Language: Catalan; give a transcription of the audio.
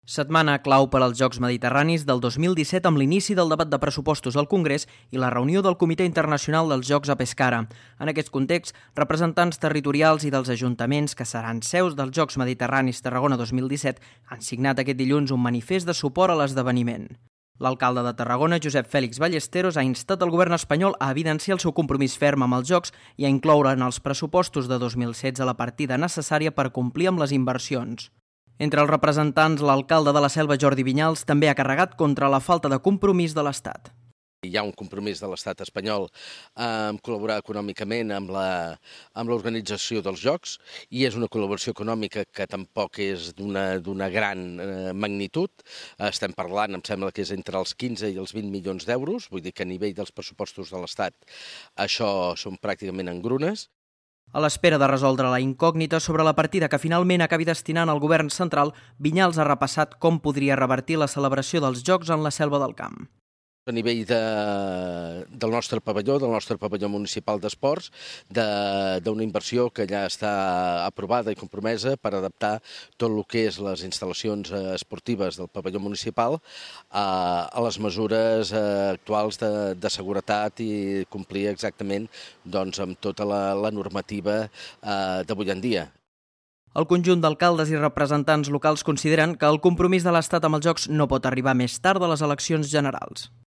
Setmana clau per als Jocs Mediterranis del 2017 amb l'inici del debat de pressupostos al Congrés i la reunió del Comitè Internacional dels Jocs a Pescara. En aquest context, representants territorials i dels ajuntaments que seran seus dels Jocs Mediterranis Tarragona 2017 han signat aquest dilluns un manifest de suport a l'esdeveniment. L'alcalde de Tarragona, Josep Fèlix Ballesteros, ha instat el govern espanyol a evidenciar el seu compromís ferm amb els Jocs i a incloure en els pressupostos de 2016 la partida necessària per complir amb les inversions. Entre els representants, l'alcalde de la Selva, Jordi Vinyals, també ha carregat contra la falta de compromís de l'Estat. Hi ha un compromís de l'Estat espanyol en col·laborar econòmicament amb l'organització dels Jocs i és una col·laboració econòmica que tampoc és d'una gran magnitud. Estem parlant, em sembla que és entre els 15 i els 20 milions d'euros, vull dir que a nivell dels pressupostos de l'Estat això són pràcticament engrunes. A l'espera de resoldre la incògnita sobre la partida que finalment acabi destinant el govern central, Vinyals ha repassat com podria revertir la celebració dels Jocs en la Selva del Camp. A nivell del nostre pavelló municipal d'esports, d'una inversió que ja està aprovada i compromesa per adaptar tot el que és les instal·lacions esportives del pavelló municipal a les mesures actuals de seguretat i complir exactament amb tota la normativa d'avui en dia. El conjunt d'alcaldes i representants locals consideren que el compromís de l'Estat amb els Jocs no pot arribar més tard de les eleccions generals.